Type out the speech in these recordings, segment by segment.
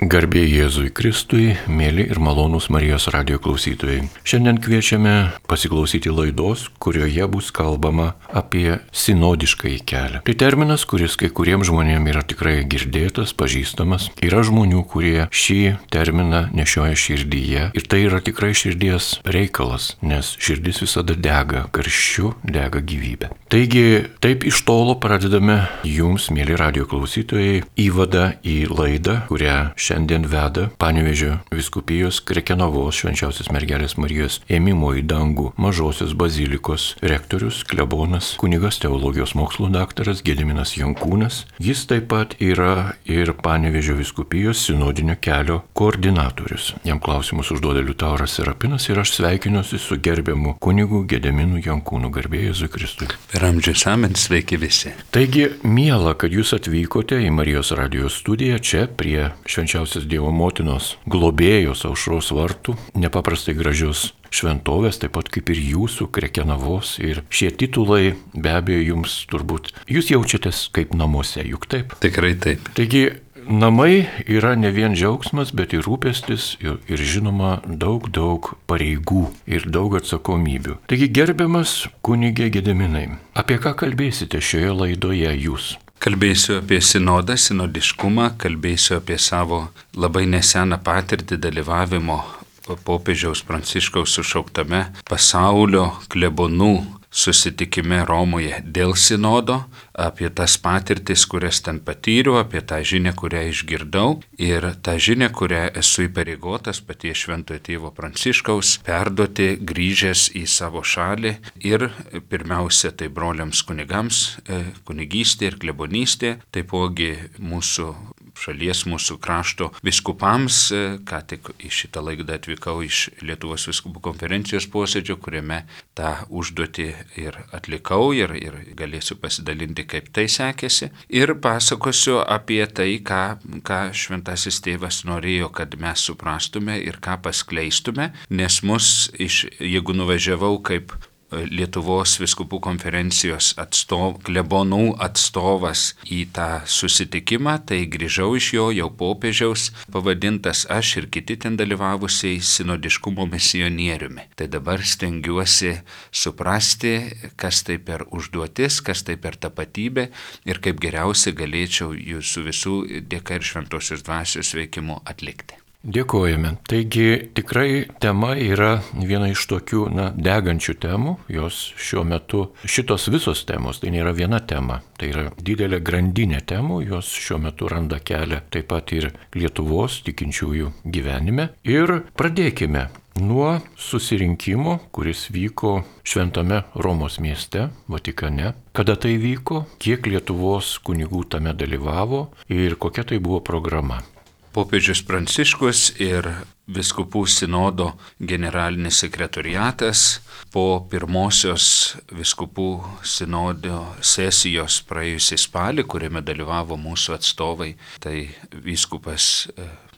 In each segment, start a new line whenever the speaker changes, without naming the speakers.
Garbė Jėzui Kristui, mėly ir malonūs Marijos radijo klausytojai. Šiandien kviečiame pasiklausyti laidos, kurioje bus kalbama apie sinodiškąjį kelią. Tai terminas, kuris kai kuriems žmonėms yra tikrai girdėtas, pažįstamas. Yra žmonių, kurie šį terminą nešioja širdyje. Ir tai yra tikrai širdies reikalas, nes širdis visada dega karščiu, dega gyvybė. Taigi, taip iš tolo pradedame jums, mėly radijo klausytojai, įvadą į laidą, kurią šiandien veda Panevėžio vyskupijos Krekenavos Švenčiausios Mergelės Marijos ėmimo į dangų Mažosios bazilikos rektorius, klebonas, kunigas teologijos mokslų daktaras Gediminas Jankūnas. Jis taip pat yra ir Panevėžio vyskupijos sinodinio kelio koordinatorius. Jam klausimus užduoda Liutauras Serapinas ir aš sveikinuosi su gerbiamu kunigu Gediminu Jankūnu. Garbė Jėzui Kristui.
Per amžius amen, sveiki visi.
Taigi, miela, kad jūs atvykote į Marijos radijo studiją čia prie Švenčiausios Dievo motinos globėjos Aušros vartų, nepaprastai gražios šventovės, taip pat kaip ir jūsų Krekenavos. Ir šie titulai be abejo jums turbūt, jūs jaučiatės kaip namuose, juk taip?
Tikrai taip.
Taigi, namai yra ne vien džiaugsmas, bet ir rūpestis ir žinoma daug pareigų ir daug atsakomybių. Taigi, gerbiamas kunigė Gediminai, apie ką kalbėsite šioje laidoje jūs?
Kalbėsiu apie sinodą, sinodiškumą, kalbėsiu apie savo labai neseną patirtį dalyvavimo popiežiaus Pranciškaus sušauktame pasaulio klebonų susitikime Romoje dėl sinodo, apie tas patirtis, kurias ten patyriau, apie tą žinią, kurią išgirdau ir tą žinią, kurią esu įpareigotas paties Šventojo Tėvo Pranciškaus perduoti grįžęs į savo šalį ir pirmiausia tai broliams kunigams, kunigystė ir klebonystė, taipogi mūsų šalies, mūsų krašto vyskupams, ką tik į šitą laidą atvykau iš Lietuvos vyskupų konferencijos posėdžio, kuriame tą užduotį ir atlikau ir galėsiu pasidalinti, kaip tai sekėsi. Ir pasakosiu apie tai, ką Šventasis Tėvas norėjo, kad mes suprastume ir ką paskleistume, nes jeigu nuvažiavau kaip Lietuvos vyskupų konferencijos klebonų atstovas į tą susitikimą, tai grįžau iš jo jau popiežiaus pavadintas aš ir kiti ten dalyvavusiai sinodiškumo misionieriumi. Tai dabar stengiuosi suprasti, kas tai per užduotis, kas tai per tapatybę ir kaip geriausiai galėčiau jūsų visų dėka ir šventosios dvasios veikimu atlikti.
Dėkojame. Taigi tikrai tema yra viena iš tokių degančių temų. Jos šiuo metu, šitos visos temos, tai nėra viena tema. Tai yra didelė grandinė temų, jos šiuo metu randa kelią taip pat ir Lietuvos tikinčiųjų gyvenime. Ir pradėkime nuo susirinkimo, kuris vyko Šventame Romos mieste, Vatikane. Kada tai vyko, kiek Lietuvos kunigų tame dalyvavo ir kokia tai buvo programa.
Popiežius Pranciškus ir Vyskupų sinodo generalinis sekretoriatas po pirmosios Vyskupų sinodo sesijos praėjusį spalį, kuriame dalyvavo mūsų atstovai, tai vyskupas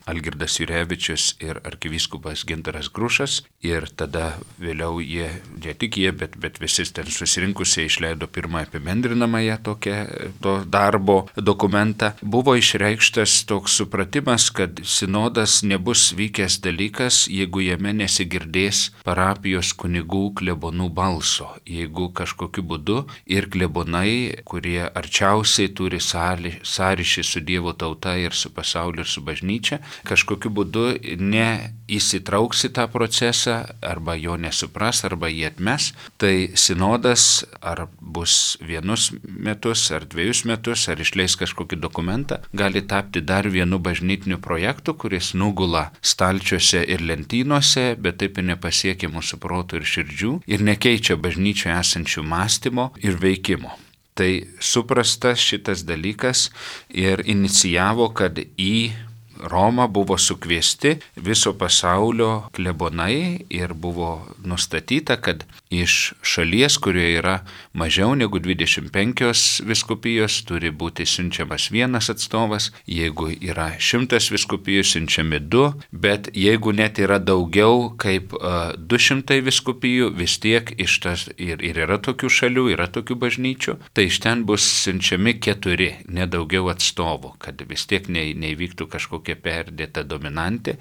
Algirdas Jurevičius ir arkivyskupas Gintaras Grušas. Ir tada vėliau ne tik jie, bet visi ten susirinkusiai išleido pirmą apibendrinamąją to darbo dokumentą. Buvo išreikštas toks supratimas, kad sinodas nebus vykęs dalykas, jeigu jame nesigirdės parapijos kunigų klebonų balso. Jeigu kažkokiu būdu ir klebonai, kurie arčiausiai turi sąryšį su Dievo tauta ir su pasauliu ir su bažnyčia, kažkokiu būdu neįsitrauks į tą procesą, arba jo nesupras, arba jį atmes, tai sinodas ar bus 1 metus, ar 2 metus, ar išleis kažkokį dokumentą, gali tapti dar vienu bažnytiniu projektu, kuris nugula stalčiuose ir lentynose, bet taip ir nepasiekia mūsų protų ir širdžių ir nekeičia bažnyčioje esančių mąstymo ir veikimo. Tai suprastas šitas dalykas ir inicijavo, kad į Romą buvo sukviesti viso pasaulio klebonai ir buvo nustatyta, kad iš šalies, kurioje yra mažiau negu 25 vyskupijos, turi būti siunčiamas 1 atstovas, jeigu yra 100 vyskupijų, siunčiami 2, bet jeigu net yra daugiau kaip 200 vyskupijų, vis tiek iš tas ir yra tokių šalių, yra tokių bažnyčių, tai iš ten bus siunčiami 4, nedaugiau atstovų, kad vis tiek neįvyktų kažkokie tokia perdėta dominantė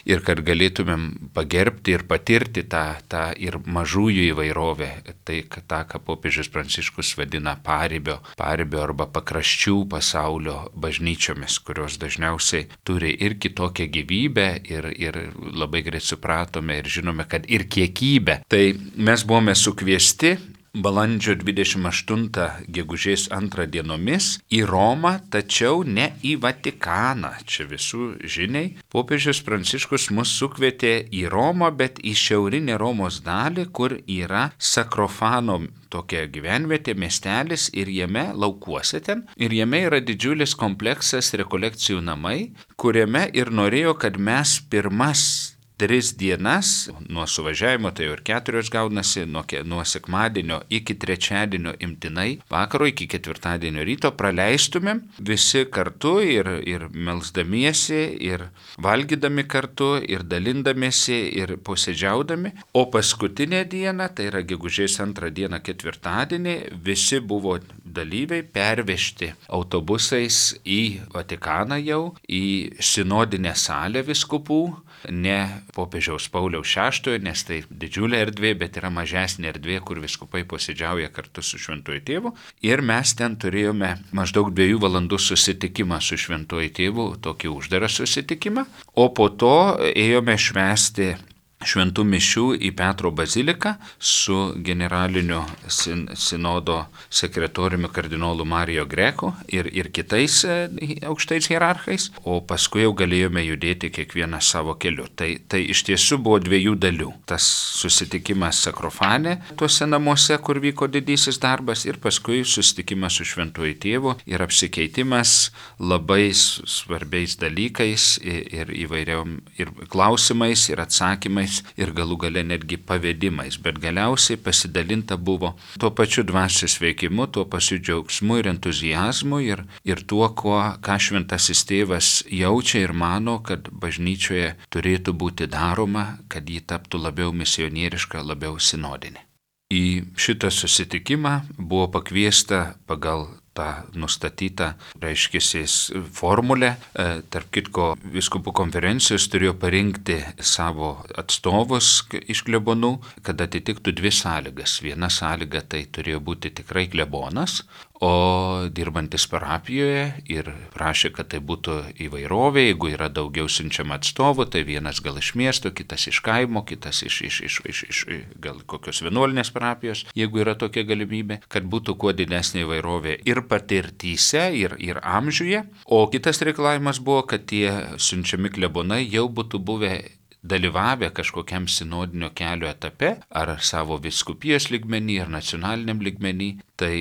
ir kad galėtumėm pagerbti ir patirti tą ir mažųjų įvairovę, tai tą, ką popiežius Pranciškus vadina paribio arba pakraščių pasaulio bažnyčiomis, kurios dažniausiai turi ir kitokią gyvybę ir labai greit supratome ir žinome, kad ir kiekybę. Tai mes buvome sukviesti balandžio 28 gegužės 2 dienomis į Romą, tačiau ne į Vatikaną. Čia visų žiniai. Popiežius Pranciškus mus sukvietė į Romą, bet į šiaurinę Romos dalį, kur yra Sakrofano tokia gyvenvietė, miestelis ir jame laukuose ten. Ir jame yra didžiulis kompleksas rekolekcijų namai, kuriame ir norėjo, kad mes pirmas 3 dienas, nuo suvažiavimo, tai jau ir 4 gaunasi, nuo sekmadienio iki trečiadienio imtinai, vakaro iki ketvirtadienio ryto praleistumėm visi kartu ir melsdamiesi, ir valgydami kartu, ir dalindamiesi, ir posėdžiaudami. O paskutinę dieną, tai yra gegužės 2 dieną ketvirtadienį, visi buvo dalyviai pervežti autobusais į Vatikaną jau, į sinodinę salę vyskupų, ne popiežiaus Pauliaus VI, nes tai didžiulė erdvė, bet yra mažesnė erdvė, kur vyskupai posėdžiauja kartu su Šventuoju Tėvu. Ir mes ten turėjome maždaug 2 valandų susitikimą su Šventuoju Tėvu, tokį uždarą susitikimą, o po to ėjome švęsti šventų mišių į Petro baziliką su generalinio sinodo sekretoriumi kardinolu Mario Greco ir kitais aukštais hierarchais, o paskui jau galėjome judėti kiekvieną savo keliu. Tai iš tiesų buvo 2 dalių. Tas susitikimas Sakrofane, tuose namuose, kur vyko didysis darbas, ir paskui susitikimas su Šventuoju Tėvu ir apsikeitimas labai svarbiais dalykais ir įvairiom ir klausimais, ir atsakymais, ir galų gale netgi pavedimais, bet galiausiai pasidalinta buvo tuo pačiu dvasios veikimu, tuo pačiu džiaugsmu ir entuziazmu ir tuo, ką Šventasis Tėvas jaučia ir mano, kad bažnyčioje turėtų būti daroma, kad ji taptų labiau misionieriška, labiau sinodinė. Į šitą susitikimą buvo pakviesta pagal tą nustatytą, formulę. Tarp kitko, vyskupų konferencijos turėjo parinkti savo atstovus iš klebonų, kad atitiktų 2 sąlygas. Viena sąlyga tai turėjo būti tikrai klebonas, o dirbantis parapijoje, ir prašė, kad tai būtų įvairovė, jeigu yra daugiau siunčiama atstovų, tai vienas gal iš miesto, kitas iš kaimo, kitas iš gal kokios vienuolinės parapijos, jeigu yra tokia galimybė, kad būtų kuo didesnė įvairovė ir patirtyse, ir amžiuje. O kitas reikalavimas buvo, kad tie siunčiami klebonai jau būtų buvę dalyvavę kažkokiam sinodinio kelio etape, ar savo vyskupijos lygmenį, ar nacionaliniam lygmenį. Tai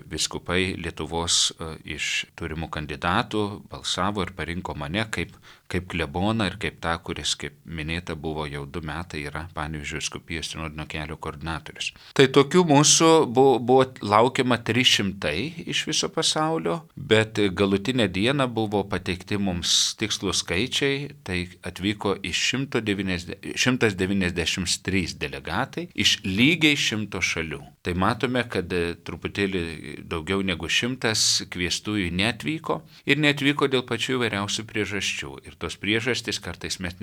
vyskupai Lietuvos iš turimų kandidatų balsavo ir parinko mane kaip kleboną ir kaip tą, kuris, kaip minėta, buvo jau 2 metai yra Panevėžio vyskupijos sinodinio kelio koordinatorius. Tai tokių mūsų buvo laukiama 300 iš viso pasaulio, bet galutinę dieną buvo pateikti mums tikslų skaičiai, tai atvyko iš 193 delegatai iš lygiai 100 šalių. Tai matome, kad truputėlį daugiau negu 100 kviestųjų neatvyko ir neatvyko dėl pačių įvairiausių priežasčių. Ir tos priežastys kartais mes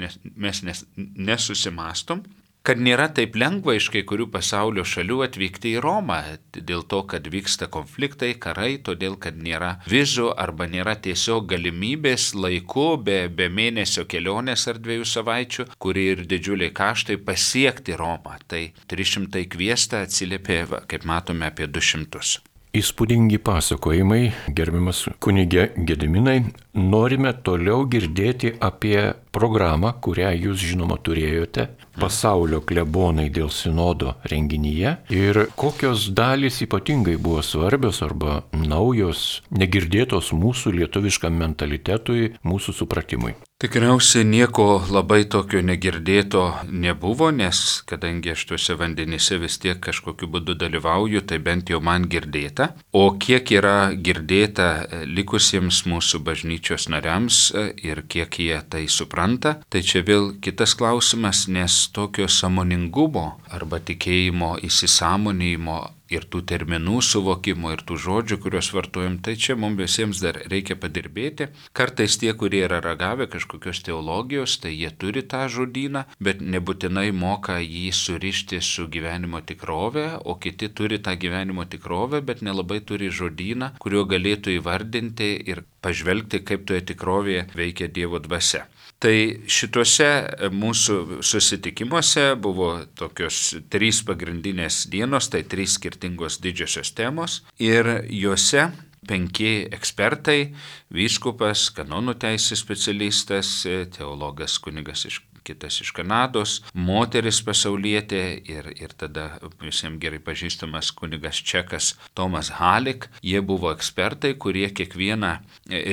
nesusimastom, kad nėra taip lengva iš kai kurių pasaulio šalių atvykti į Romą, dėl to, kad vyksta konfliktai, karai, todėl, kad nėra vizų arba nėra tiesiog galimybės laiku, be mėnesio kelionės ar 2 savaičių, kuri ir didžiuliai kaštai pasiekti Romą. Tai 300 kviesta atsiliepė, kaip matome, apie 200.
Įspūdingi pasakojimai, gerbiamas kunige Gediminai. Norime toliau girdėti apie programą, kurią jūs žinoma turėjote, pasaulio klebonai dėl sinodo renginyje, ir kokios dalys ypatingai buvo svarbios arba naujos, negirdėtos mūsų lietuviškam mentalitetui, mūsų supratimui.
Tikriausiai nieko labai tokio negirdėto nebuvo, nes kadangi aš tuose vandenyse vis tiek kažkokiu būdu dalyvauju, tai bent jau man girdėta. O kiek yra girdėta likusiems mūsų bažnyčios nariams ir kiek jie tai supranta, tai čia vėl kitas klausimas, nes tokio sąmoningumo arba tikėjimo įsisąmonėjimo ir tų terminų suvokimo, ir tų žodžių, kuriuos vartojam, tai čia mums visiems dar reikia padirbėti. Kartais tie, kurie yra ragavę kažkokios teologijos, tai jie turi tą žodyną, bet nebūtinai moka jį surišti su gyvenimo tikrove, o kiti turi tą gyvenimo tikrovę, bet nelabai turi žodyną, kuriuo galėtų įvardinti ir pažvelgti, kaip toje tikrovėje veikia Dievo dvasia. Tai šituose mūsų susitikimuose buvo tokios 3 pagrindinės dienos, tai 3 skirtingos didžiosios temos ir juose 5 ekspertai, vyskupas, kanonų teisės specialistas, teologas kunigas kitas iš Kanados, moteris pasaulietė ir tada visiems gerai pažįstamas kunigas čekas Tomas Halik. Jie buvo ekspertai, kurie kiekvieną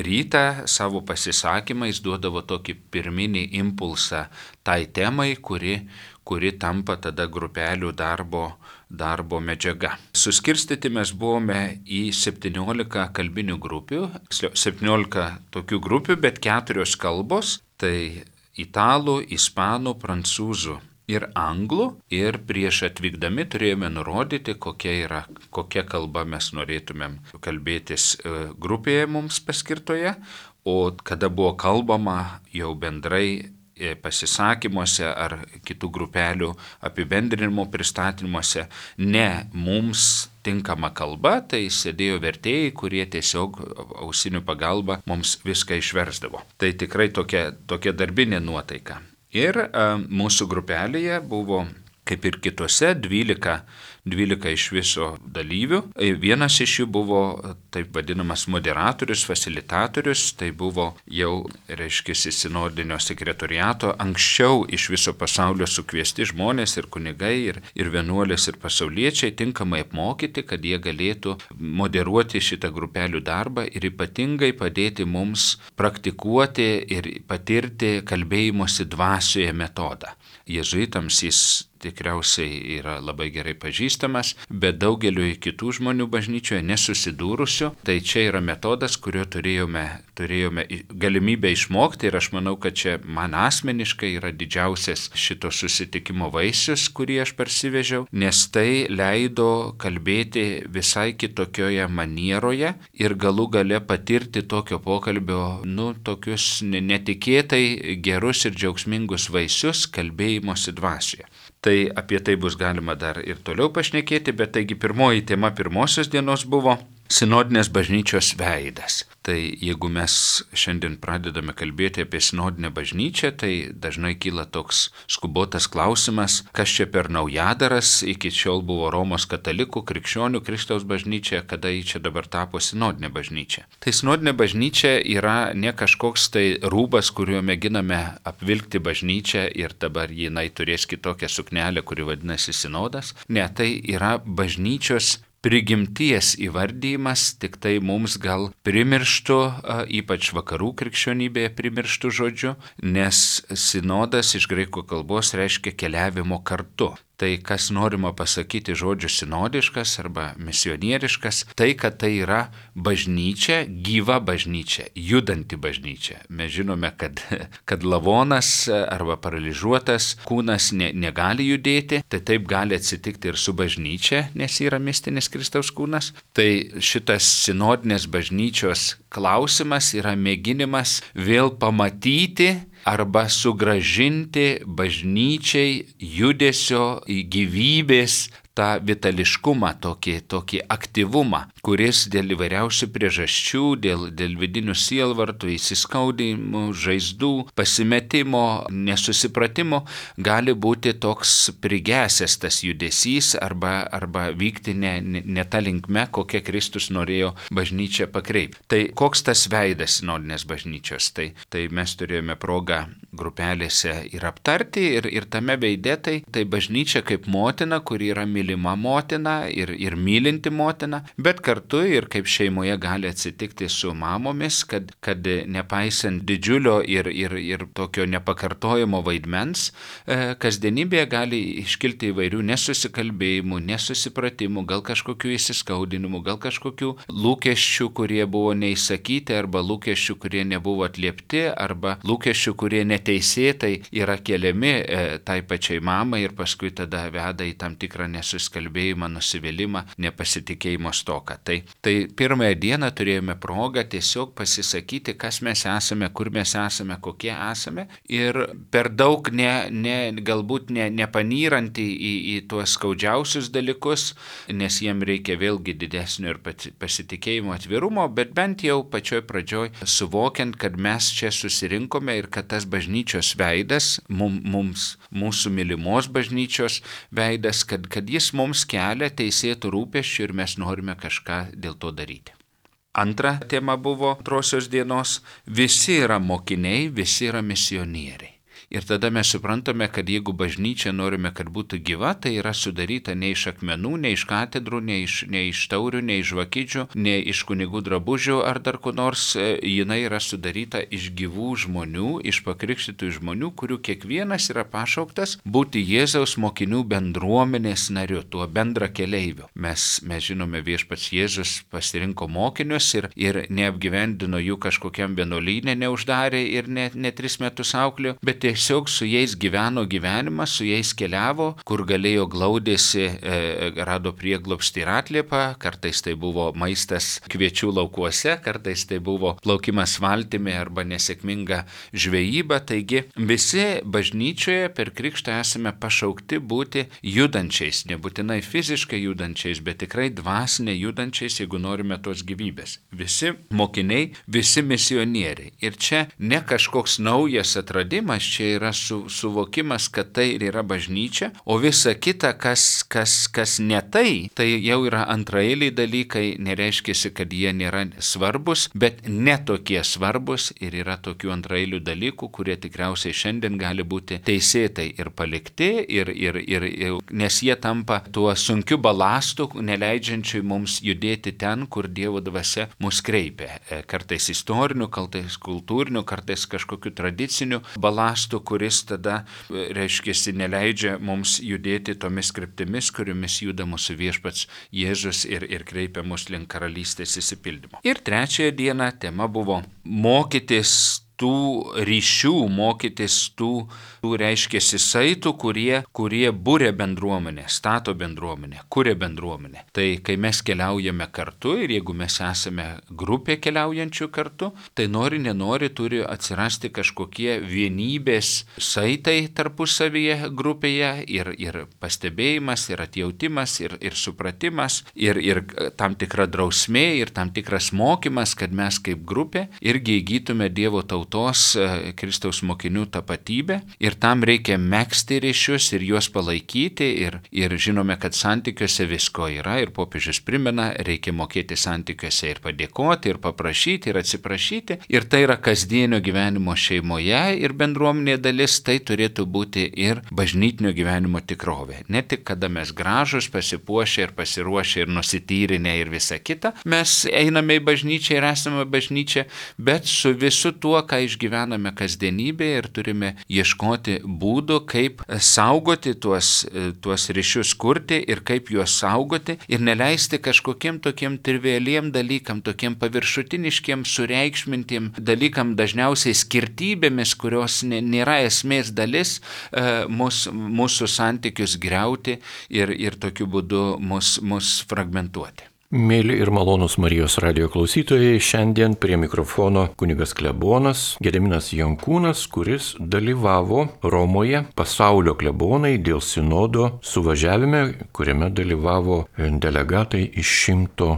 rytą savo pasisakymais duodavo tokį pirminį impulsą tai temai, kuri tampa tada grupelių darbo medžiaga. Suskirstyti mes buvome į 17 kalbinių grupių, 17 tokių grupių, bet 4 kalbos, tai italų, ispanų, prancūzų ir anglų. Ir prieš atvykdami turėjome nurodyti, kokia kalba mes norėtumėm kalbėtis grupėje mums paskirtoje, o kada buvo kalbama jau bendrai pasisakymuose ar kitų grupelių apibendrinimo pristatymuose ne mums tinkama kalba, tai sėdėjo vertėjai, kurie tiesiog ausinių pagalba mums viską išversdavo. Tai tikrai tokia darbinė nuotaika. Ir mūsų grupelėje buvo, kaip ir kitose, 12 iš viso dalyvių. Vienas iš jų buvo taip vadinamas moderatorius, fasilitatorius, tai buvo jau, sinodinio sekretoriato, anksčiau iš viso pasaulio sukviesti žmonės ir kunigai, ir vienuolės, ir pasauliečiai tinkamai apmokyti, kad jie galėtų moderuoti šitą grupelių darbą ir ypatingai padėti mums praktikuoti ir patirti kalbėjimosi dvasioje metodą. Jėzuitams jis tikriausiai yra labai gerai pažįstamas, bet daugeliu kitų žmonių bažnyčioje nesusidūrusių, tai čia yra metodas, kurio turėjome galimybę išmokti ir aš manau, kad čia man asmeniškai yra didžiausias šito susitikimo vaisius, kurį aš parsivežiau, nes tai leido kalbėti visai kitokioje manieroje ir galų gale patirti tokio pokalbio, tokius netikėtai gerus ir džiaugsmingus vaisius kalbėjimosi dvasioje. Tai apie tai bus galima dar ir toliau pašnekėti, bet taigi pirmoji tema pirmosios dienos buvo sinodinės bažnyčios veidas. Tai jeigu mes šiandien pradedame kalbėti apie sinodinę bažnyčią, tai dažnai kyla toks skubotas klausimas, kas čia per naujadaras, iki šiol buvo Romos katalikų, krikščionių, Kristaus bažnyčia, kada ji čia dabar tapo sinodinė bažnyčia. Tai sinodinė bažnyčia yra ne kažkoks tai rūbas, kuriuo mėginame apvilkti bažnyčią ir dabar jinai turės kitokią suknelę, kuri vadinasi sinodas. Ne, tai yra bažnyčios prigimties įvardymas, tik tai mums gal primirštų, ypač vakarų krikščionybėje primirštų žodžiu, nes sinodas iš graikų kalbos reiškia keliavimo kartu. Tai kas norima pasakyti žodžiu sinodiškas arba misionieriškas, tai kad tai yra bažnyčia, gyva bažnyčia, judanti bažnyčia. Mes žinome, kad lavonas arba paralyžiuotas kūnas negali judėti, tai taip gali atsitikti ir su bažnyčia, nes yra mistinis Kristaus kūnas. Tai šitas sinodinės bažnyčios klausimas yra mėginimas vėl pamatyti arba sugrąžinti bažnyčiai judesio gyvybės tą vitališkumą, tokį aktyvumą, kuris dėl įvairiausių priežasčių, dėl vidinių sielvartų, įsiskaudimų, žaizdų, pasimetimo, nesusipratimo, gali būti toks prigesęs tas judesys arba vykti ne ta linkme, kokia Kristus norėjo bažnyčią pakreipti. Tai koks tas veidas sinodinės bažnyčios? Tai mes turėjome progą grupelėse ir aptarti ir tame veide tai bažnyčia kaip motina, kuri yra mylima motina ir mylinti motina, bet kartu ir kaip šeimoje gali atsitikti su mamomis, kad nepaisant didžiulio ir tokio nepakartojamo vaidmens, kasdienybėje gali iškilti įvairių nesusikalbėjimų, nesusipratimų, gal kažkokių įsiskaudinimų, gal kažkokių lūkesčių, kurie buvo neįsakyti, arba lūkesčių, kurie nebuvo atliepti, arba lūkesčių, kurie neteisėtai yra keliami tai pačiai mamai ir paskui tada veda į tam tikrą nesuskalbėjimą, nusivylimą, nepasitikėjimo stoką. Tai pirmąją dieną turėjome progą tiesiog pasisakyti, kas mes esame, kur mes esame, kokie esame ir per daug galbūt nepanyrant į tuos skaudžiausius dalykus, nes jiem reikia vėlgi didesnio ir pasitikėjimo, atvirumo, bet bent jau pačioj pradžioj suvokiant, kad mes čia susirinkome ir kad tas bažnyčios veidas, mūsų mylimos bažnyčios veidas, kad jis mums kelia teisėtų rūpesčių ir mes norime kažką dėl to daryti. Antra tema buvo antrosios dienos - visi yra mokiniai, visi yra misionieriai. Ir tada mes suprantame, kad jeigu bažnyčia norime, kad būtų gyva, tai yra sudaryta ne iš akmenų, ne iš katedrų, ne iš taurių, ne iš žvakidžių, ne iš kunigų drabužių ar dar ko nors, jinai yra sudaryta iš gyvų žmonių, iš pakrikštytų žmonių, kurių kiekvienas yra pašauktas būti Jėzaus mokinių bendruomenės nariu, tuo bendra keleiviu. Mes žinome, Viešpats Jėzus pasirinko mokinius ir neapgyvendino jų kažkokiam vienuolyne, neuždarė ir ne 3 metus auklėjo, bet tiesiog su jais gyveno gyvenimą, su jais keliavo, kur galėjo glaudėsi, rado prieglobstį ir atliepą, kartais tai buvo maistas kviečių laukuose, kartais tai buvo plaukimas valtimi arba nesėkminga žvejyba. Taigi visi bažnyčioje per krikštą esame pašaukti būti judančiais, nebūtinai fiziškai judančiais, bet tikrai dvasinė judančiais, jeigu norime tos gyvybės. Visi mokiniai, visi misionieriai. Ir čia ne kažkoks naujas atradimas, čia yra suvokimas, kad tai ir yra bažnyčia, o visa kita, kas ne tai jau yra antraeiliai dalykai, nereiškia, kad jie nėra svarbus, bet netokie svarbus ir yra tokių antraeilių dalykų, kurie tikriausiai šiandien gali būti teisėtai ir palikti, nes jie tampa tuo sunkiu balastu, neleidžiančiu mums judėti ten, kur Dievo dvasia mus kreipia. Kartais istoriniu, kartais kultūriniu, kartais kažkokiu tradiciniu balastu, kuris tada, reiškia, neleidžia mums judėti tomis kryptimis, kuriomis juda mūsų Viešpats Jėzus ir kreipia mus link karalystės išsipildymo. Ir trečiąją dieną tema buvo mokytis tų ryšių, mokytis tų reiškia saitų, kurie būrė bendruomenę, stato bendruomenę, kuria bendruomenę. Tai kai mes keliaujame kartu ir jeigu mes esame grupė keliaujančių kartu, tai nenori turi atsirasti kažkokie vienybės saitai tarpusavyje grupėje ir pastebėjimas, ir atjautimas, ir supratimas, ir tam tikra drausmė, ir tam tikras mokymas, kad mes kaip grupė irgi įgytume Dievo tautos Kristaus mokinių tapatybę ir tam reikia megzti ryšius ir juos palaikyti ir žinome, kad santykiuose visko yra ir popiežius primena, reikia mokėti santykiuose ir padėkoti, ir paprašyti, ir atsiprašyti ir tai yra kasdienio gyvenimo šeimoje ir bendruomenė dalis, tai turėtų būti ir bažnytinio gyvenimo tikrovė. Ne tik kada mes gražus, pasipuošę ir pasiruošę ir nusityrinę ir visa kita, mes einame į bažnyčią ir esame bažnyčia, bet su visu tuo, ką išgyvename kasdienybėje ir turime ieškoti būdų, kaip saugoti tuos ryšius kurti ir kaip juos saugoti ir neleisti kažkokiem tokiem trivialiem dalykam, tokiem paviršutiniškiem, sureikšmintiem dalykam, dažniausiai skirtybėmis, kurios nėra esmės dalis, mūsų santykius griauti ir tokiu būdu mus fragmentuoti.
Mėly ir malonūs Marijos radijo klausytojai, šiandien prie mikrofono kunigas klebonas Gediminas Jankūnas, kuris dalyvavo Romoje pasaulio klebonai dėl sinodo suvažiavime, kuriame dalyvavo delegatai iš 100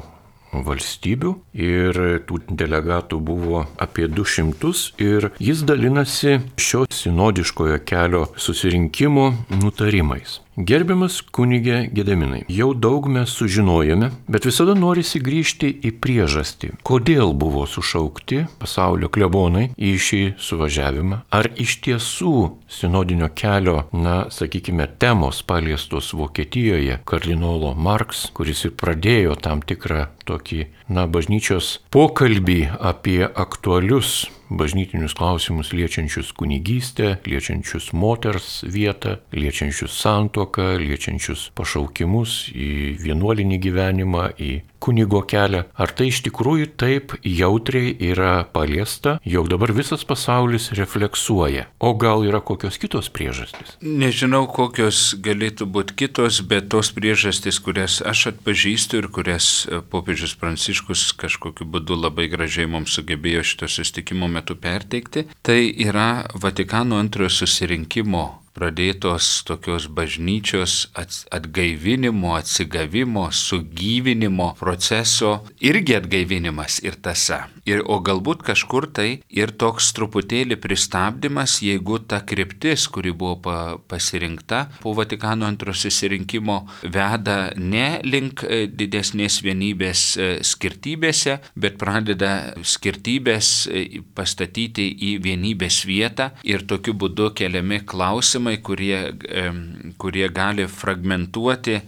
valstybių ir tų delegatų buvo apie 200 ir jis dalinasi šio sinodiškojo kelio susirinkimo nutarimais. Gerbiamas kunige Gediminai, jau daug mes sužinojome, bet visada norisi grįžti į priežastį. Kodėl buvo sušaukti pasaulio klebonai į šį suvažiavimą? Ar iš tiesų sinodinio kelio, sakykime, temos paliestos Vokietijoje kardinolo Marks, kuris ir pradėjo tam tikrą tokį, bažnyčios pokalbį apie aktualius bažnytinius klausimus liečiančius kunigystę, liečiančius moters vietą, liečiančius santuoką, liečiančius pašaukimus į vienuolinį gyvenimą, į kunigo kelią, ar tai iš tikrųjų taip jautriai yra paliesta, jog dabar visas pasaulis refleksuoja. O gal yra kokios kitos priežastys?
Nežinau, kokios galėtų būti kitos, bet tos priežastys, kurias aš atpažįstu ir kurias popiežius Pranciškus kažkokiu būdu labai gražiai mums sugebėjo šito susitikimo metu perteikti, tai yra Vatikano antrojo susirinkimo pradėtos tokios bažnyčios atgaivinimo, atsigavimo, sugyvinimo proceso, irgi atgaivinimas ir tąsa. O galbūt kažkur tai ir toks truputėlį pristabdymas, jeigu ta kryptis, kuri buvo pasirinkta po Vatikano antrojo susirinkimo, veda ne link didesnės vienybės skirtybėse, bet pradeda skirtybės pastatyti į vienybės vietą ir tokiu būdu keliami klausimai, kurie gali fragmentuoti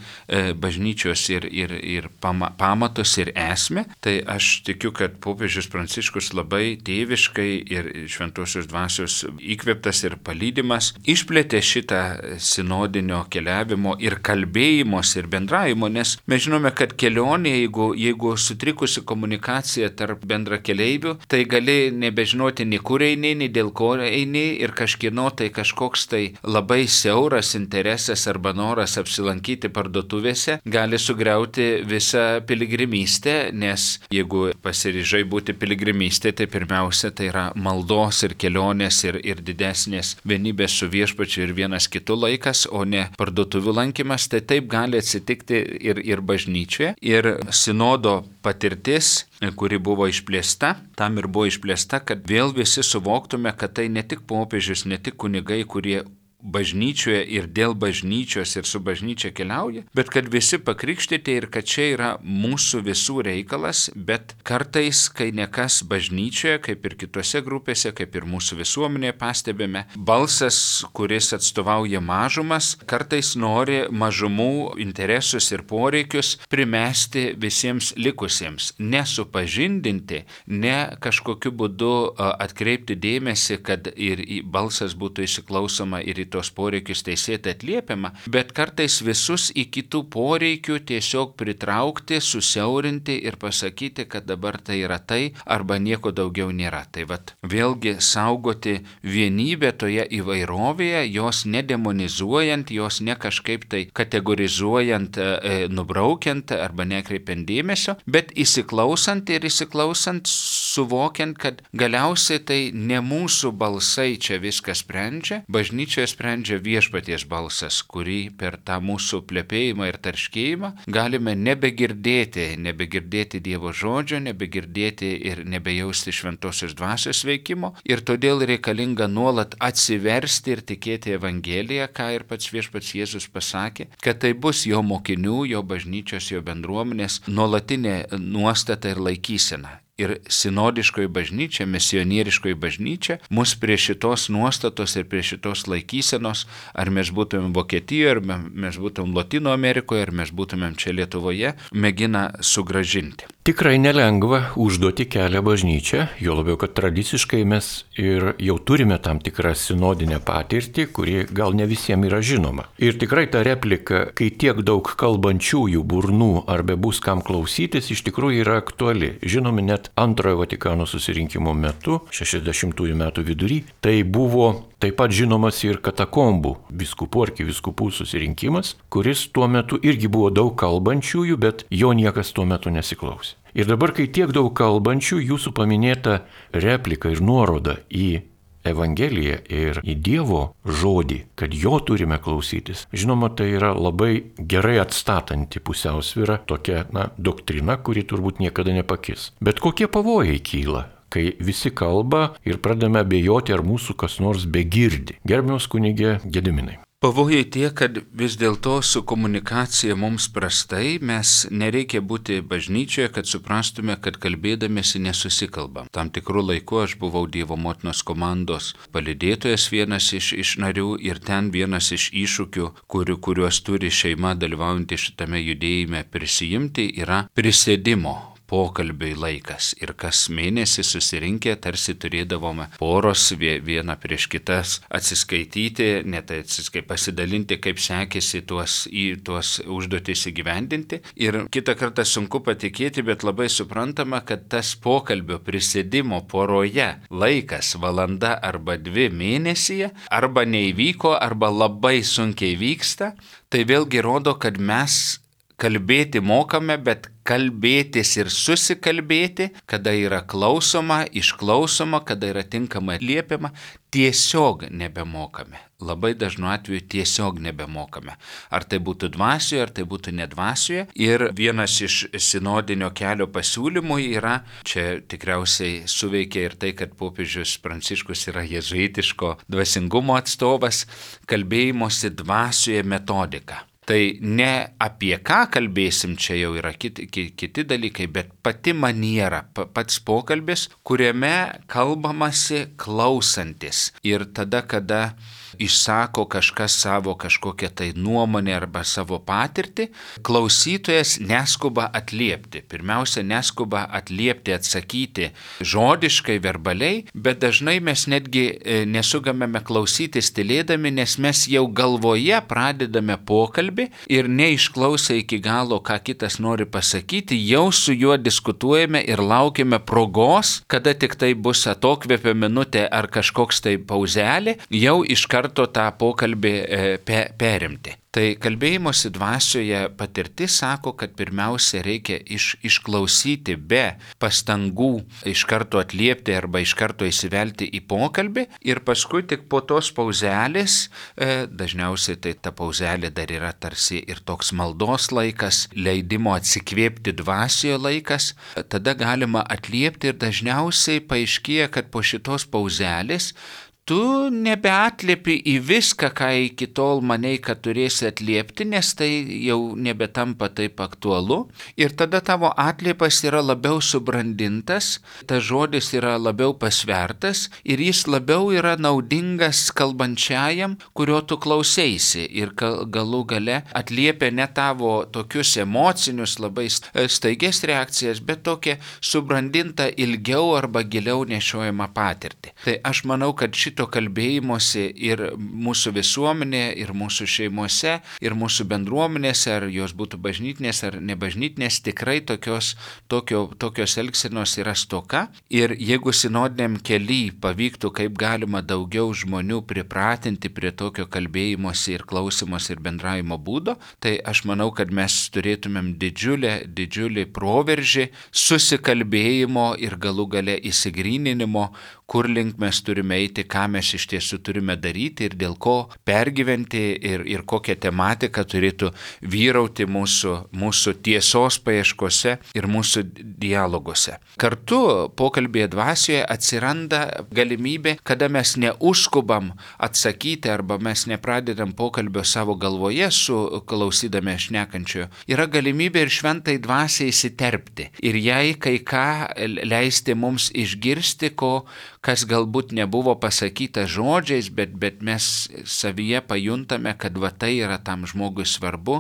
bažnyčios ir pamatus ir esmę. Tai aš tikiu, kad popiežius Pranciškus labai tėviškai ir šventosios dvasios įkvėptas ir palydimas išplėtė šitą sinodinio keliavimo ir kalbėjimos ir bendravimo, nes mes žinome, kad kelionė, jeigu sutrikusi komunikacija tarp bendrakeleivių, tai gali nebežinoti nei kur eini, nei dėl ko eini ir kažkieno tai kažkoks tai labai siauras interesas arba noras apsilankyti parduotuvėse gali sugriauti visą piligrimystę, nes jeigu pasiryžai būti piligrimystė, tai pirmiausia tai yra maldos ir kelionės ir didesnės vienybės su viešpačiu ir vienas kitu laikas, o ne parduotuvių lankymas. Tai taip gali atsitikti ir bažnyčioje. Ir sinodo patirtis, kuri buvo išplėsta, tam ir buvo išplėsta, kad vėl visi suvoktume, kad tai ne tik popiežius, ne tik kunigai, kurie bažnyčioje ir dėl bažnyčios ir su bažnyčia keliauja, bet kad visi pakrikštyti ir kad čia yra mūsų visų reikalas, bet kartais, kai nekas bažnyčioje, kaip ir kitose grupėse, kaip ir mūsų visuomenėje pastebime, balsas, kuris atstovauja mažumas, kartais nori mažumų interesus ir poreikius primesti visiems likusiems, nesupažindinti, ne kažkokiu būdu atkreipti dėmesį, kad ir balsas būtų įsiklausoma ir į tos poreikius teisėtai atliepiama, bet kartais visus į kitų poreikių tiesiog pritraukti, susiaurinti ir pasakyti, kad dabar tai yra tai arba nieko daugiau nėra. Tai vėlgi saugoti vienybę toje įvairovėje, jos nedemonizuojant, jos ne kažkaip tai kategorizuojant, nubraukiant arba nekreipiant dėmesio, bet įsiklausant suvokiant, kad galiausiai tai ne mūsų balsai čia viską sprendžia, bažnyčioje sprendžia viešpaties balsas, kurį per tą mūsų plepėjimą ir tarškėjimą galime nebegirdėti Dievo žodžio, nebegirdėti ir nebejausti šventosios dvasios veikimo, ir todėl reikalinga nuolat atsiversti ir tikėti Evangeliją, ką ir pats viešpats Jėzus pasakė, kad tai bus jo mokinių, jo bažnyčios, jo bendruomenės nuolatinė nuostata ir laikysena. Ir sinodiškoji bažnyčia, misionieriškoji bažnyčia mus prie šitos nuostatos ir prie šitos laikysenos, ar mes būtumėm Vokietijoje, ar mes būtumėm Lotynų Amerikoje, ar mes būtumėm čia Lietuvoje, mėgina sugrąžinti.
Tikrai nelengva užduoti kelią bažnyčią, jo labiau, kad tradiciškai mes ir jau turime tam tikrą sinodinę patirtį, kuri gal ne visiems yra žinoma. Ir tikrai ta replika, kai tiek daug kalbančiųjų burnų ar bebus kam klausytis, iš tikrųjų yra aktuali. Žinome, net antrojo Vatikano susirinkimo metu, 60-ųjų metų vidury, tai buvo taip pat žinomas ir katakombų vyskupų arkivyskupų susirinkimas, kuris tuo metu irgi buvo daug kalbančiųjų, bet jo niekas tuo metu nesiklausė. Ir dabar, kai tiek daug kalbančių, jūsų paminėta replika ir nuoroda į Evangeliją ir į Dievo žodį, kad jo turime klausytis. Žinoma, tai yra labai gerai atstatanti pusiausvyrą, tokia doktrina, kuri turbūt niekada nepakis. Bet kokie pavojai kyla, kai visi kalba ir pradame abejoti, ar mūsų kas nors begirdi? Gerbiamas kunige Gediminai.
Pavojai tie, kad vis dėlto su komunikacija mums prastai, mes nereikia būti bažnyčioje, kad suprastume, kad kalbėdamėsi nesusikalbam. Tam tikrų laikų aš buvau Dievo motinos komandos palydėtojas, vienas iš narių, ir ten vienas iš iššūkių, kuriuos turi šeima dalyvaujantį šitame judėjime prisijimti, yra prisėdimo pokalbiui laikas. Ir kas mėnesį susirinkę tarsi turėdavome poros vieną prieš kitas atsiskaityti, pasidalinti, kaip sekėsi tuos užduotis įgyvendinti. Ir kitą kartą sunku patikėti, bet labai suprantama, kad tas pokalbio prisėdimo poroje laikas valanda arba 2 mėnesyje arba neįvyko, arba labai sunkiai vyksta, tai vėlgi rodo, kad mes kalbėti mokame, bet kalbėtis ir susikalbėti, kada yra klausoma, išklausoma, kada yra tinkamai atliepiama, tiesiog nebemokame. Labai dažnu atveju tiesiog nebemokame. Ar tai būtų dvasioje, ar tai būtų nedvasioje. Ir vienas iš sinodinio kelio pasiūlymų yra, čia tikriausiai suveikia ir tai, kad popiežius Pranciškus yra jėzuitiško dvasingumo atstovas, kalbėjimosi dvasioje metodika. Tai ne apie ką kalbėsim, čia jau yra kiti dalykai, bet pati maniera, pats pokalbis, kuriame kalbamasi klausantis. Ir tada, kada išsako kažkas savo kažkokią tai nuomonę arba savo patirtį, klausytojas neskuba atliepti. Pirmiausia, neskuba atliepti, atsakyti žodiškai, verbaliai, bet dažnai mes netgi nesugebame klausytis tylėdami, nes mes jau galvoje pradedame pokalbį ir neišklausę iki galo, ką kitas nori pasakyti, jau su juo diskutuojame ir laukiame progos, kada tik tai bus atokvėpio minutė ar kažkoks tai pauzelė, jau iš karto tą pokalbį perimti. Tai kalbėjimosi dvasioje patirtis sako, kad pirmiausia reikia išklausyti be pastangų iš karto atliepti arba iš karto įsivelti į pokalbį ir paskui tik po tos pauzelės, dažniausiai tai ta pauzelė dar yra tarsi ir toks maldos laikas, leidimo atsikvėpti dvasioje laikas, tada galima atliepti ir dažniausiai paaiškėja, kad po šitos pauzelės tu nebeatliepi į viską, ką iki tol manei, kad turėsi atliepti, nes tai jau nebetampa taip aktualu. Ir tada tavo atliepas yra labiau subrandintas, tas žodis yra labiau pasvertas ir jis labiau yra naudingas kalbančiajam, kurio tu klausėsi. Ir galų gale atliepia ne tavo tokius emocinius, labai staigias reakcijas, bet tokią subrandintą ilgiau arba giliau nešiojamą patirtį. Tai aš manau, kad šito kalbėjimosi ir mūsų visuomenėje, ir mūsų šeimose, ir mūsų bendruomenėse, ar jos būtų bažnytinės ar nebažnytinės, tikrai tokios elgsenos yra stoka. Ir jeigu sinodiniam kely pavyktų kaip galima daugiau žmonių pripratinti prie tokio kalbėjimosi ir klausimosi ir bendravimo būdo, tai aš manau, kad mes turėtumėm didžiulį proveržį susikalbėjimo ir galų gale įsigryninimo, kur link mes turime eiti, ką mes iš tiesų turime daryti ir dėl ko pergyventi ir kokią tematiką turėtų vyrauti mūsų tiesos paieškose ir mūsų dialoguose. Kartu pokalbėje dvasioje atsiranda galimybė, kada mes neužskubam atsakyti arba mes nepradedam pokalbio savo galvoje su klausydami šnekančiojo. Yra galimybė ir šventai dvasiai įsiterpti ir jai kai ką leisti mums išgirsti, kas galbūt nebuvo pasakyta žodžiais, bet mes savyje pajuntame, kad va tai yra tam žmogui svarbu,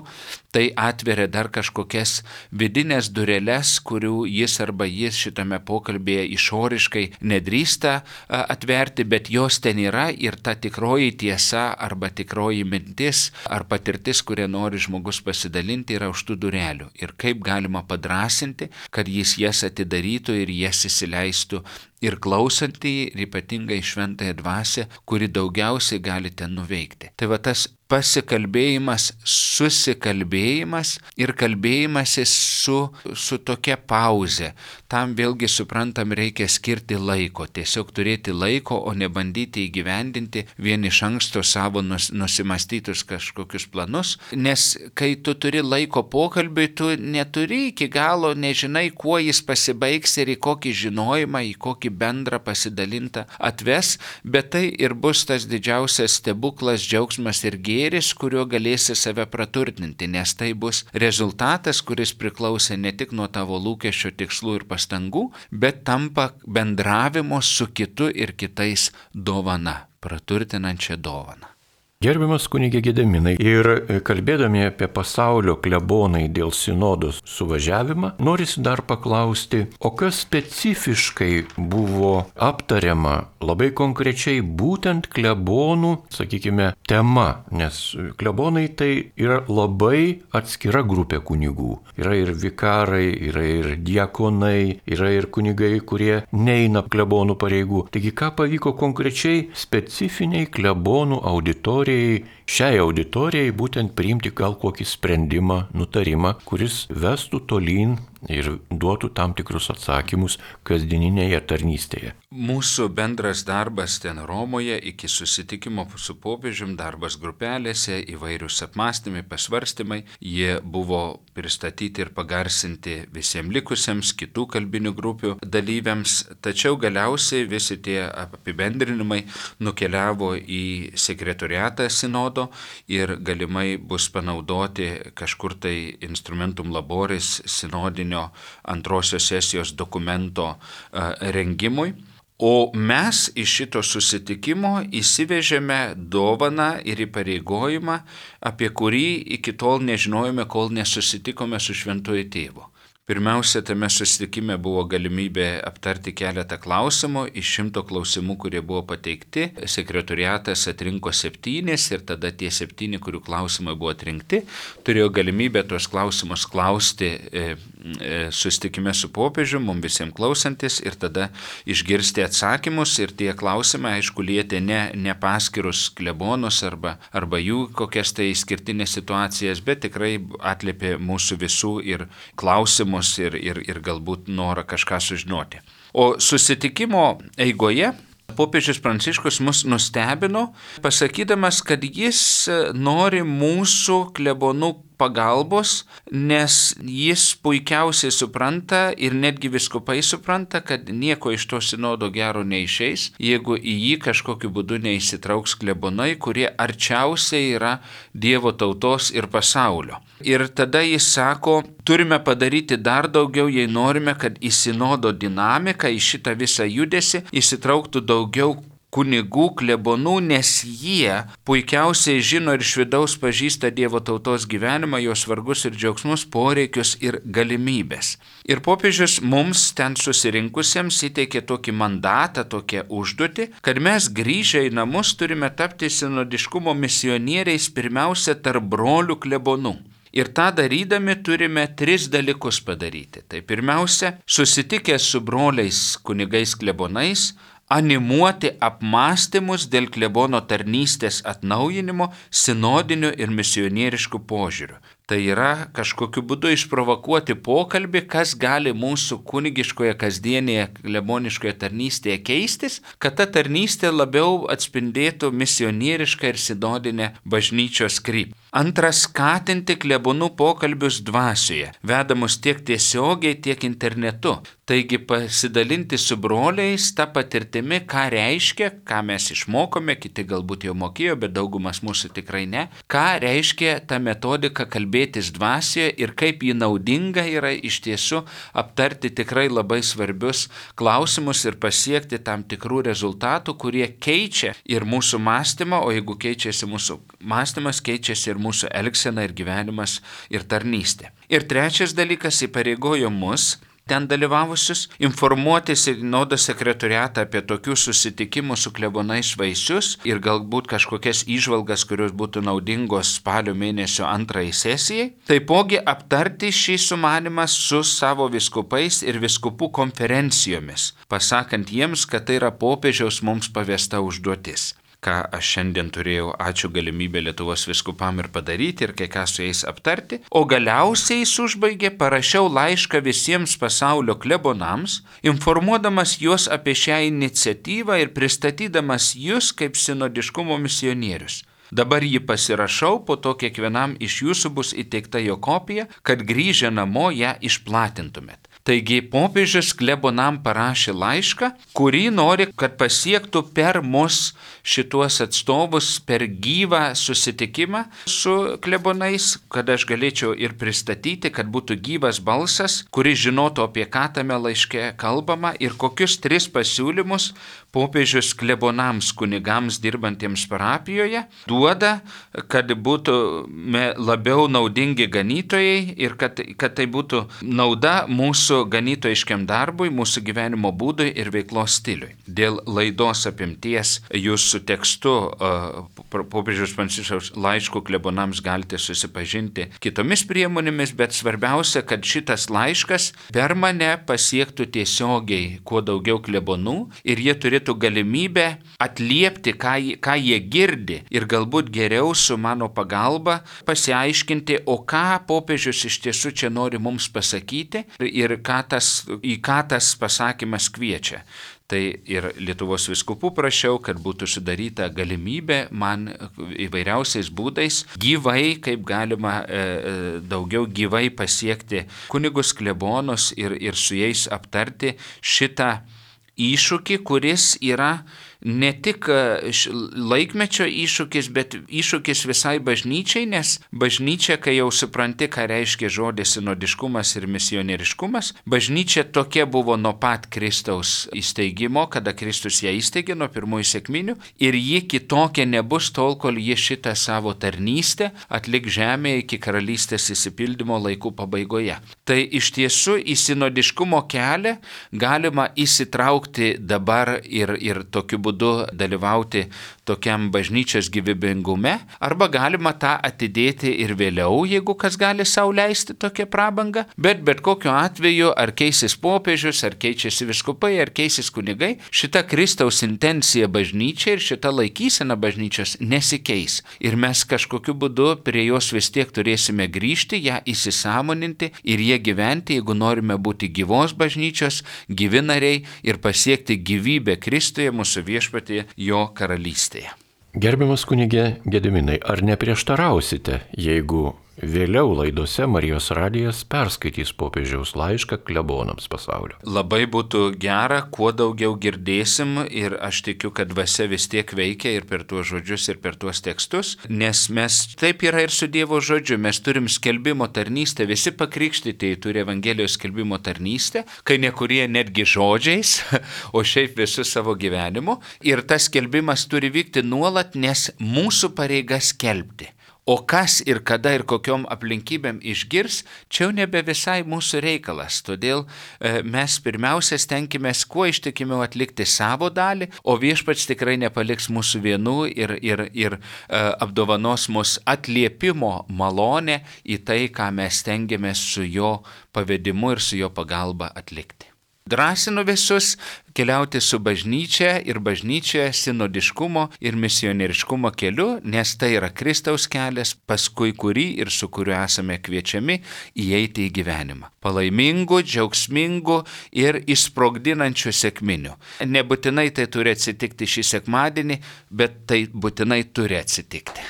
tai atveria dar kažkokias vidinės dureles, kurių jis arba jis šitame pokalbėje išoriškai nedrįsta atverti, bet jos ten yra ir ta tikroji tiesa arba tikroji mintis ar patirtis, kurią nori žmogus pasidalinti, yra už tų durelių. Ir kaip galima padrąsinti, kad jis jas atidarytų ir jas įsileistų ir klausantį, ir ypatingai šventąją dvasią, kuri daugiausiai gali ten nuveikti. Tai va tas pasikalbėjimas, susikalbėjimas ir kalbėjimasis su tokia pauze. Tam vėlgi suprantam reikia skirti laiko, tiesiog turėti laiko, o ne bandyti įgyvendinti vien iš anksto savo nusimastytus kažkokius planus, nes kai tu turi laiko pokalbiui, tu neturi iki galo, nežinai, kuo jis pasibaigs ir į kokį žinojimą, į kokį bendrą pasidalintą atves, bet tai ir bus tas didžiausias stebuklas, džiaugsmas ir gėris, kuriuo galėsi save praturtinti, nes tai bus rezultatas, kuris priklauso ne tik nuo tavo lūkesčio, tikslų ir pastangų, bet tampa bendravimo su kitu ir kitais dovana, praturtinančia dovana.
Gerbiamas kunigė Gedeminai, ir kalbėdami apie pasaulio klebonai dėl sinodos suvažiavimą, norisi dar paklausti, o kas specifiškai buvo aptariama labai konkrečiai būtent klebonų, sakykime, tema, nes klebonai tai yra labai atskira grupė kunigų. Yra ir vikarai, yra ir diakonai, yra ir kunigai, kurie neina klebonų pareigų. Taigi, ką pavyko konkrečiai specifiniai klebonų auditorijai, šiai auditorijai būtent priimti gal kokį sprendimą, nutarimą, kuris vestų tolyn ir duotų tam tikrus atsakymus kasdieninėje tarnystėje.
Mūsų bendras darbas ten Romoje iki susitikimo su popiežium, darbas grupelėse, įvairius apmąstymai, pasvarstymai, jie buvo pristatyti ir pagarsinti visiems likusiems kitų kalbinių grupių dalyviams, tačiau galiausiai visi tie apibendrinimai nukeliavo į sekretoriatą sinodo ir galimai bus panaudoti kažkur tai instrumentum laboris sinodinio antrosios sesijos dokumento rengimui. O mes iš šito susitikimo įsivežėme dovaną ir įpareigojimą, apie kurį iki tol nežinojome, kol nesusitikome su Šventuoju Tėvu. Pirmiausia, tame susitikime buvo galimybė aptarti keletą klausimų. Iš 100 klausimų, kurie buvo pateikti, sekretoriatas atrinko 7 ir tada tie 7, kurių klausimai buvo atrinkti, turėjo galimybę tuos klausimus klausti susitikime su popiežiu, mums visiems klausantis ir tada išgirsti atsakymus. Ir tie klausimai, aišku, lietė ne paskirus klebonus arba jų kokias tai išskirtinės situacijas, bet tikrai atliepė mūsų visų ir klausimų ir galbūt norą kažką sužinoti. O susitikimo eigoje popiežius Pranciškus mus nustebino, pasakydamas, kad jis nori mūsų klebonų pagalbos, nes jis puikiausiai supranta ir netgi vyskupai supranta, kad nieko iš to sinodo gero neišeis, jeigu į jį kažkokiu būdu neįsitrauks klebonai, kurie arčiausiai yra Dievo tautos ir pasaulio. Ir tada jis sako, turime padaryti dar daugiau, jei norime, kad į sinodo dinamiką, į šitą visą judesį įsitrauktų daugiau kunigų, klebonų, nes jie puikiausiai žino ir iš vidaus pažįsta Dievo tautos gyvenimą, jos vargus ir džiaugsmus, poreikius ir galimybės. Ir popiežius mums ten susirinkusiems įteikė tokį mandatą, tokią užduotį, kad mes grįžę į namus turime tapti sinodiškumo misionieriais pirmiausia tarp brolių klebonų. Ir tą darydami turime 3 dalykus padaryti. Tai pirmiausia, susitikę su broliais kunigais klebonais, animuoti apmąstymus dėl klebono tarnystės atnaujinimo sinodiniu ir misionierišku požiūriu. Tai yra kažkokiu būdu išprovokuoti pokalbį, kas gali mūsų kunigiškoje kasdienėje kleboniškoje tarnystėje keistis, kad ta tarnystė labiau atspindėtų misionierišką ir sinodinę bažnyčios kryptį. Antras, skatinti klebonų pokalbius dvasioje, vedamus tiek tiesiogiai, tiek internetu. Taigi pasidalinti su broliais tą patirtimi, ką reiškia, ką mes išmokome, kiti galbūt jau mokėjo, bet daugumas mūsų tikrai ne, ką reiškia ta metodika kalbėtis dvasioje ir kaip ji naudinga yra iš tiesų aptarti tikrai labai svarbius klausimus ir pasiekti tam tikrų rezultatų, kurie keičia ir mūsų mąstymą, o jeigu keičiasi mūsų mąstymas, keičiasi ir mūsų elgsena ir gyvenimas ir tarnystė. Ir trečias dalykas įpareigojo mus, ten dalyvavusius, informuoti sinodo sekretoriatą apie tokių susitikimų su klebonais vaisius ir galbūt kažkokias įžvalgas, kurios būtų naudingos spalio mėnesio 2 sesijai. Taipogi aptarti šį sumanimą su savo vyskupais ir vyskupų konferencijomis, pasakant jiems, kad tai yra popiežiaus mums pavesta užduotis. Ką aš šiandien turėjau, ačiū galimybę Lietuvos vyskupam ir padaryti ir kai ką su jais aptarti, o galiausiai jis užbaigė, parašiau laišką visiems pasaulio klebonams, informuodamas juos apie šią iniciatyvą ir pristatydamas jūs kaip sinodiškumo misionierius. Dabar jį pasirašau, po to kiekvienam iš jūsų bus įteikta jo kopija, kad grįžę namo ją išplatintumėt. Taigi popiežius klebonam parašė laišką, kurį nori, kad pasiektų per mus šituos atstovus per gyvą susitikimą su klebonais, kad aš galėčiau ir pristatyti, kad būtų gyvas balsas, kuris žinotų, apie ką tame laiške kalbama ir kokius 3 pasiūlymus popiežius klebonams kunigams dirbantiems parapijoje duoda, kad būtume labiau naudingi ganytojai ir kad tai būtų nauda mūsų ganytojiškiam darbui, mūsų gyvenimo būdui ir veiklos stiliui. Dėl laidos apimties jūs su tekstu popiežiaus Pranciškaus laiškų klebonams galite susipažinti kitomis priemonėmis, bet svarbiausia, kad šitas laiškas per mane pasiektų tiesiogiai kuo daugiau klebonų ir jie turėtų galimybę atliepti, ką jie girdi ir galbūt geriau su mano pagalba pasiaiškinti, o ką popiežius iš tiesų čia nori mums pasakyti ir į ką tas pasakymas kviečia. Tai ir Lietuvos vyskupų prašiau, kad būtų sudaryta galimybė man įvairiausiais būdais gyvai, kaip galima daugiau gyvai pasiekti kunigus klebonus ir su jais aptarti šitą iššūkį, kuris yra ne tik laikmečio iššūkis, bet iššūkis visai bažnyčiai, nes bažnyčia, kai jau supranti, ką reiškia žodis sinodiškumas ir misionieriškumas, bažnyčia tokia buvo nuo pat Kristaus įsteigimo, kada Kristus ją įsteigė nuo pirmųjų sekminių, ir ji kitokia nebus tol, kol ji šitą savo tarnystę atliks žemėje iki karalystės įsipildymo laikų pabaigoje. Tai iš tiesų į sinodiškumo kelią galima įsitraukti dabar ir tokiu būdu dalyvauti tokiam bažnyčios gyvybingume, arba galima tą atidėti ir vėliau, jeigu kas gali sau leisti tokią prabangą, bet kokiu atveju, ar keisis popiežius, ar keičiasi vyskupai, ar keisis kunigai, šita Kristaus intencija bažnyčia ir šita laikysena bažnyčios nesikeis. Ir mes kažkokiu būdu prie jos vis tiek turėsime grįžti, ją įsisąmoninti ir jie gyventi, jeigu norime būti gyvos bažnyčios, gyvi nariai ir pasiekti gyvybę Kristuje, mūsų viešpatyje, jo karalystėje.
Gerbiamas kunige Gediminai, ar neprieštarausite, jeigu vėliau laidose Marijos radijas perskaitys popiežiaus laišką klebonams pasaulio?
Labai būtų gera, kuo daugiau girdėsim, ir aš tikiu, kad dvasia vis tiek veikia ir per tuos žodžius, ir per tuos tekstus, nes mes taip yra ir su Dievo žodžiu, mes turim skelbimo tarnystę, visi pakrikštytieji turi Evangelijos skelbimo tarnystę, kai nekurie netgi žodžiais, o šiaip visu savo gyvenimu, ir tas skelbimas turi vykti nuolat, nes mūsų pareiga skelbti. O kas ir kada ir kokiom aplinkybėm išgirs, čia jau nebe visai mūsų reikalas. Todėl mes pirmiausia stenkimės kuo ištikimiau atlikti savo dalį, o viešpats tikrai nepaliks mūsų vienų ir apdovanos mus atliepimo malonę į tai, ką mes stengiamės su jo pavedimu ir su jo pagalba atlikti. Drąsinu visus keliauti su bažnyčia ir bažnyčioje sinodiškumo ir misionieriškumo keliu, nes tai yra Kristaus kelias, paskui kurį ir su kuriuo esame kviečiami įeiti į gyvenimą. Palaimingų, džiaugsmingų ir išsprogdinančių sekminių. Nebūtinai tai turi atsitikti šį sekmadienį, bet tai būtinai turi atsitikti.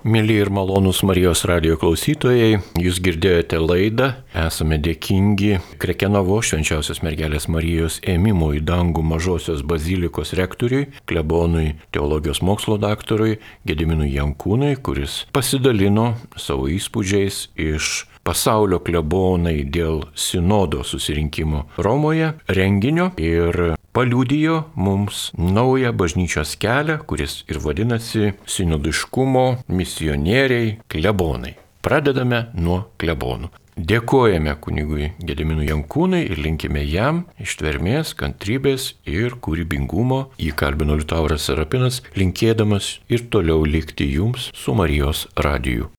Mėly ir malonūs Marijos radijo klausytojai, jūs girdėjote laidą, esame dėkingi Krekenovo Švenčiausios Mergelės Marijos ėmimo į dangų Mažosios bazilikos rektoriui, klebonui, teologijos mokslo daktarui Gediminui Jankūnui, kuris pasidalino savo įspūdžiais iš pasaulio klebonai dėl sinodo susirinkimo Romoje renginio ir paliudijo mums naują bažnyčios kelią, kuris ir vadinasi sinodiškumo misionieriai klebonai. Pradedame nuo klebonų. Dėkojame kunigui Gediminui Jankūnui ir linkime jam ištvermės, kantrybės ir kūrybingumo. Jį kalbino Liutauras Serapinas, linkėdamas ir toliau likti jums su Marijos radiju.